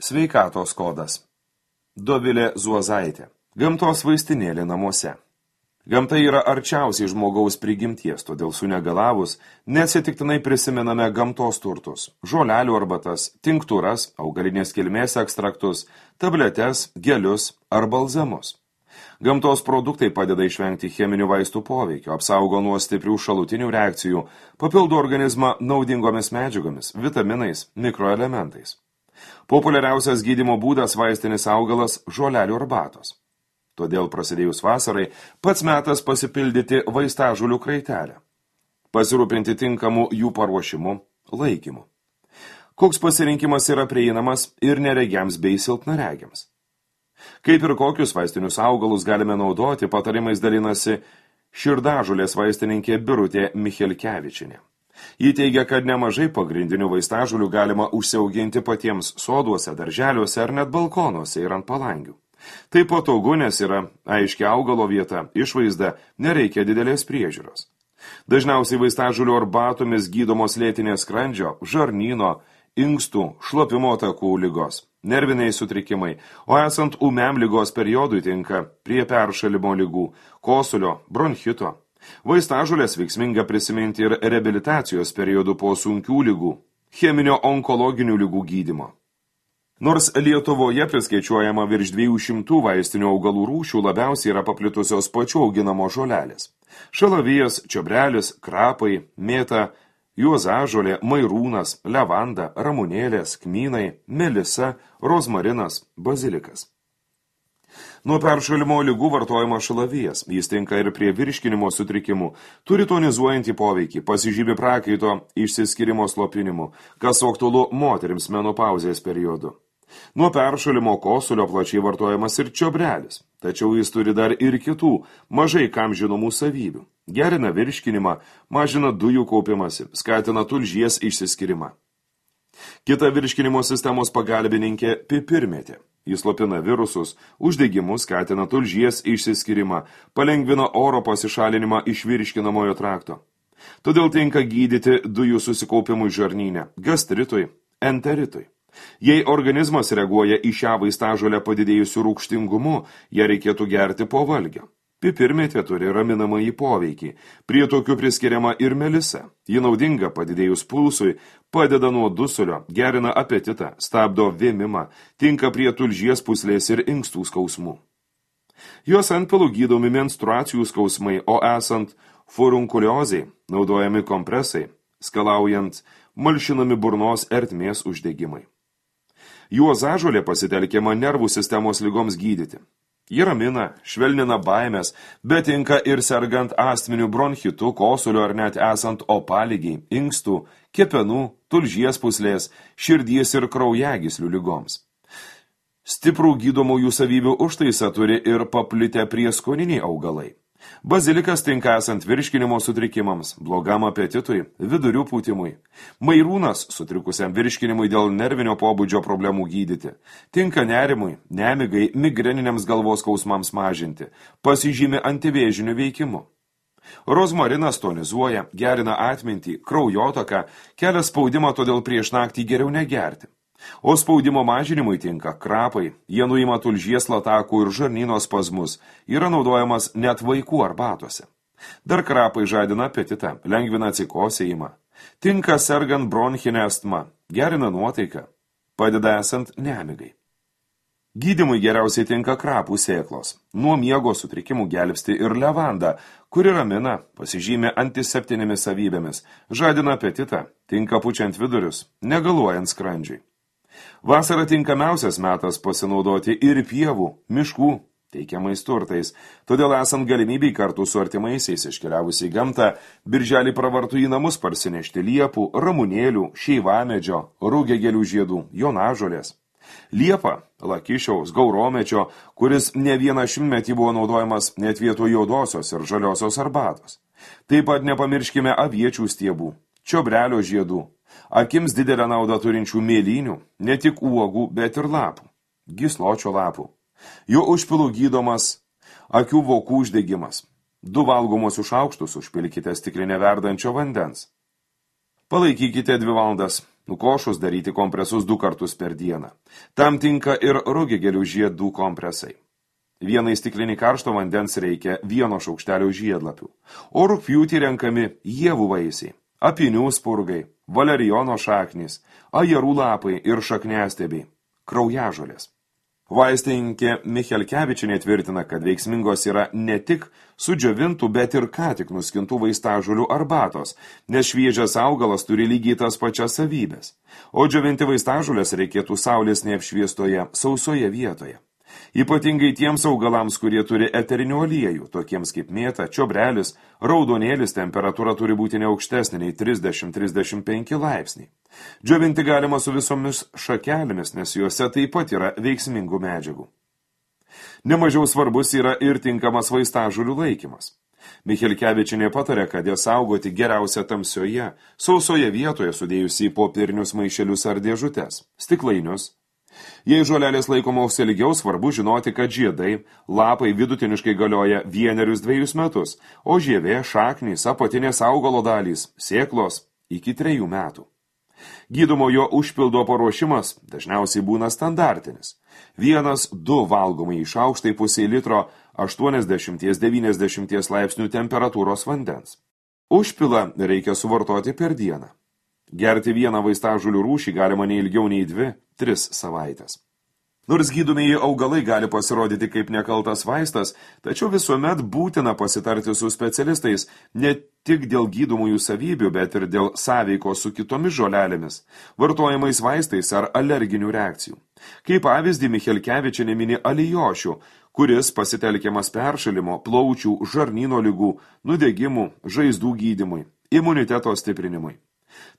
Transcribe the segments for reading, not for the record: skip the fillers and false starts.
Sveikatos kodas. Dovilė Zuozaitė. Gamtos vaistinėlė namuose. Gamta yra arčiausiai žmogaus prigimties, todėl sunegalavus neatsitiktinai prisimename gamtos turtus – žolelių arbatas, tinktūras, augalinės kilmės ekstraktus, tabletes, gelius ar balzamus. Gamtos produktai padeda išvengti cheminių vaistų poveikio, apsaugo nuo stiprių šalutinių reakcijų, papildo organizmą naudingomis medžiagomis, vitaminais, mikroelementais. Populiariausias gydymo būdas vaistinis augalas – žolelių arbatos. Todėl prasidėjus vasarai pats metas pasipildyti vaistažolių kraitelę. Pasirūpinti tinkamu jų paruošimu, laikymu. Koks pasirinkimas yra prieinamas ir neregiams bei silpnaregiams. Kaip ir kokius vaistinius augalus galime naudoti, patarimais dalinasi širdažolės vaistininkė Birutė Michelkevičienė. Ji teigia, kad nemažai pagrindinių vaistažolių galima užsiauginti patiems soduose, darželiuose ar net balkonuose ir ant palangių. Tai patogu, nes yra aiški augalo vieta, išvaizda, nereikia didelės priežiūros. Dažniausiai vaistažolių arbatomis gydomos lėtinės skrandžio, žarnyno, inkstų, šlapimo takų ligos, nerviniai sutrikimai, o esant ūmiam ligos periodui tinka prie peršalimo ligų, kosulio, bronchito. Vaistažolės veiksminga prisiminti ir reabilitacijos periodų po sunkių ligų, cheminio onkologinių ligų gydymo. Nors Lietuvoje priskaičiuojama virš 200 vaistinių augalų rūšių, labiausiai yra paplitusios pačių auginamos žolelės. Šalavijas, čiobrelis, krapai, mėta, juozažolė, mairūnas, levanda, ramunėlės, kmynai, melisa, rozmarinas, bazilikas. Nuo peršalimo ligų vartojama šalavijas, jis tinka ir prie virškinimo sutrikimų, turi tonizuojantį poveikį, pasižymi prakaito išsiskyrimo slopinimu, kas aktualu moterims menopauzės periodu. Nuo peršalimo kosulio plačiai vartojamas ir čiobrelis, tačiau jis turi dar ir kitų, mažai kam žinomų savybių. Gerina virškinimą, mažina dujų kaupimąsi, skatina tulžies išsiskyrimą. Kita virškinimo sistemos pagalbininkė pipirmėtė. Jis slopina virusus, uždegimus, skatina tulžies išsiskyrimą, palengvina oro pasišalinimą iš virškinamojo trakto. Todėl tinka gydyti dujų susikaupimui žarnyne, gastritui, enteritui. Jei organizmas reaguoja į šią vaistažolę padidėjusiu rūgštingumu, ją reikėtų gerti po valgio. Pipirmėtė turi raminamąjį poveikį. Prie tokių priskiriama ir melisa. Ji naudinga padidėjus pulsui, padeda nuo dusulio, gerina apetitą, stabdo vėmimą, tinka prie tulžies pūslės ir inkstų skausmų. Jos antpilų gydomi menstruacijų skausmai, o esant furunkuliozei naudojami kompresai, skalaujant malšinami burnos ertmės uždegimai. Juozažolė pasitelkiama nervų sistemos ligoms gydyti. Ji ramina, švelnina baimės, bet tinka ir sergant astminiu bronchitu, kosulio ar net esant opalygiai, inkstų, kepenų, tulžies pūslės, širdies ir kraujagyslių ligoms. Stiprų gydomųjų savybių užtaisą turi ir paplitę prieskoniniai augalai. Bazilikas tinka esant virškinimo sutrikimams, blogam apetitui, vidurių pūtimui. Mairūnas sutrikusiam virškinimui dėl nervinio pobūdžio problemų gydyti. Tinka nerimui, nemigai, migreniniams galvos skausmams mažinti. Pasižymi antivėžiniu veikimu. Rozmarinas tonizuoja, gerina atmintį, kraujotaką, kelia spaudimą, todėl prieš naktį geriau negerti. O spaudimo mažinimui tinka krapai, jie nuima tulžies latakų ir žarnyno spazmus, yra naudojamas net vaikų arbatose. Dar krapai žadina apetitą, lengvina atsikosėjimą. Tinka sergant bronchinę astmą, gerina nuotaiką, padeda esant nemigai. Gydymui geriausiai tinka krapų sėklos. Nuo miego sutrikimų gelbsti ir levanda, kuri ramina, pasižymė antiseptinėmis savybėmis, žadina apetitą, tinka pučiant vidurius, negaluojant skrandžiui. Vasara tinkamiausias metas pasinaudoti ir pievų, miškų teikiamais turtais, todėl esant galimybei kartu su artimaisiais iškeliavus į gamtą, birželį pravartu į namus parsinešti liepų, ramunėlių, šeivamedžio, rūgėgėlių žiedų, jonažolės. Liepa, lakišiaus, gauromečio, kuris ne vieną šimtmetį buvo naudojamas net vietoj juodosios ir žaliosios arbatos. Taip pat nepamirškime aviečių stiebų, čiobrelio žiedų, akims didelę naudą turinčių mėlynių, ne tik uogų, bet ir lapų, gysločio lapų. Jo užpilų gydomas akių vokų uždegimas. 2 valgomosius šaukštus užpilkite stiklinę verdančio vandens. Palaikykite 2 valandas, Nukošus daryti kompresus 2 kartus per dieną. Tam tinka ir rugigėlių žiedų kompresai. Vienai stiklinį karšto vandens reikia 1 šaukštelio žiedlapių, o rugpjūtį renkami ievų vaisiai, apinių spurgai, valerijono šaknys, ajerų lapai ir šakniastiebiai, kraujažolės. Vaistininkė Michelkevičienė tvirtina, kad veiksmingos yra ne tik sudžiovintų, bet ir ką tik nuskintų vaistažolių arbatos, nes šviežias augalas turi lygiai tas pačias savybės, o džiovinti vaistažolės reikėtų saulės neapšviestoje, sausoje vietoje. Ypatingai tiems augalams, kurie turi eterinių aliejų, tokiems kaip mėta, čiobrelis, raudonėlis, temperatūra turi būti neaukštesnė nei 30-35 laipsniai. Džiovinti galima su visomis šakelėmis, nes juose taip pat yra veiksmingų medžiagų. Nemažiau svarbus yra ir tinkamas vaistažolių laikymas. Michelkevičienė patarė, kad jas saugoti geriausia tamsioje, sausoje vietoje sudėjusi į popierinius maišelius ar dėžutes, stiklainius. Jei žolelės laikomos ilgiau, svarbu žinoti, kad žiedai, lapai vidutiniškai galioja 1-2 metus, o žievė, šaknys, apatinės augalo dalys, sėklos iki 3 metų. Gydomojo užpildo paruošimas dažniausiai būna standartinis. 1-2 valgomai į šaukštai pusei litro 80-90 laipsnių temperatūros vandens. Užpilą reikia suvartoti per dieną. Gerti 1 vaistažolių rūšį galima neilgiau nei 2-3 savaitės. Nors gydomieji augalai gali pasirodyti kaip nekaltas vaistas, tačiau visuomet būtina pasitarti su specialistais ne tik dėl gydomųjų savybių, bet ir dėl sąveikos su kitomis žolelėmis, vartojamais vaistais ar alerginių reakcijų. Kaip pavyzdį Michelkevičienė mini alijošių, kuris pasitelkiamas peršalimo, plaučių, žarnyno ligų, nudegimų, žaizdų gydymui, imuniteto stiprinimui.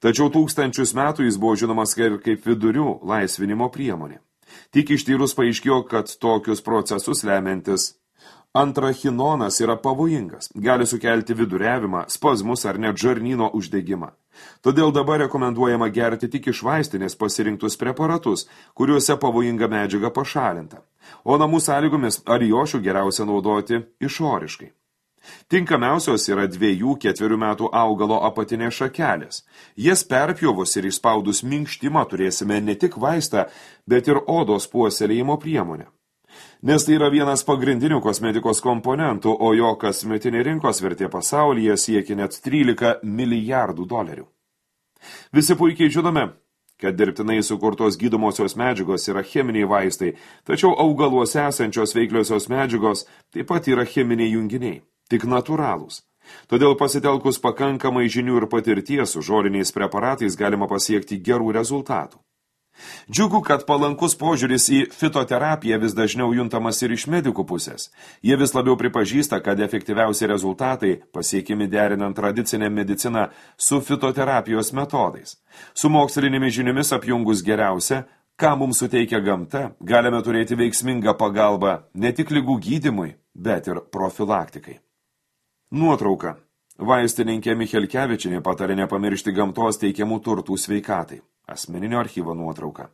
Tačiau tūkstančius metų jis buvo žinomas kaip vidurių laisvinimo priemonė. Tik ištyrus paaiškėjo, kad tokius procesus lemiantis antrachinonas yra pavojingas, gali sukelti viduriavimą, spazmus ar net žarnyno uždegimą. Todėl dabar rekomenduojama gerti tik iš vaistinės pasirinktus preparatus, kuriuose pavojinga medžiaga pašalinta, o namų sąlygomis alijošių geriausia naudoti išoriškai. Tinkamiausios yra 2-4 metų augalo apatinės šakelės. Jas perpjovus ir išspaudus minkštimą turėsime ne tik vaistą, bet ir odos puoselėjimo priemonę. Nes tai yra vienas pagrindinių kosmetikos komponentų, o jo kasmetinė rinkos vertė pasaulyje siekia net 13 milijardų dolerių. Visi puikiai žinome, kad dirbtinai sukurtos gydomosios medžiagos yra cheminiai vaistai, tačiau augaluose esančios veikliosios medžiagos taip pat yra cheminiai junginiai. Tik natūralūs. Todėl pasitelkus pakankamai žinių ir patirties su žoliniais preparatais galima pasiekti gerų rezultatų. Džiugu, kad palankus požiūris į fitoterapiją vis dažniau juntamas ir iš medikų pusės. Jie vis labiau pripažįsta, kad efektyviausi rezultatai pasiekimi derinant tradicinę mediciną su fitoterapijos metodais. Su mokslinėmis žiniomis apjungus geriausia, ką mums suteikia gamta, galime turėti veiksmingą pagalbą ne tik ligų gydymui, bet ir profilaktikai. Nuotrauka. Vaistininkė Michelkevičienė patarė nepamiršti gamtos teikiamų turtų sveikatai. Asmeninio archyvo nuotrauka.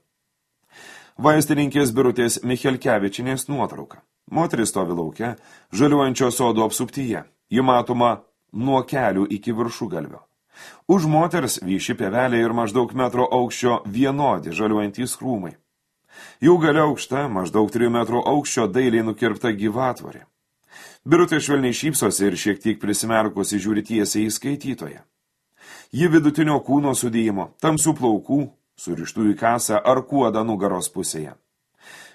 Vaistininkės Birutės Michelkevičienės nuotrauka. Moteris stovi lauke, žaliuojančio sodo apsuptyje. Ji matoma nuo kelių iki viršugalvio. Už moters vyši pievelė ir maždaug metro aukščio vienodi žaliuojantys krūmai. Jų gale aukšta, maždaug 3 metrų aukščio dailiai nukirpta gyvatvorė. Birutė švelniai šypsosi ir šiek tiek prisimerkusi žiūri tiesiai į skaitytoją. Ji vidutinio kūno sudėjimo, tamsių plaukų, surištų į kasą ar kuodą nugaros pusėje.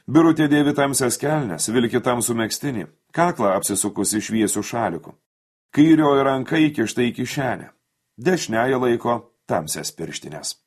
Birutė dėvi tamsias kelnes, vilki tamsų megztinį, kaklą apsisukusi šviesių šalikų. Kairioji ranka įkišta į kišenę, dešiniąja laiko tamsias pirštines.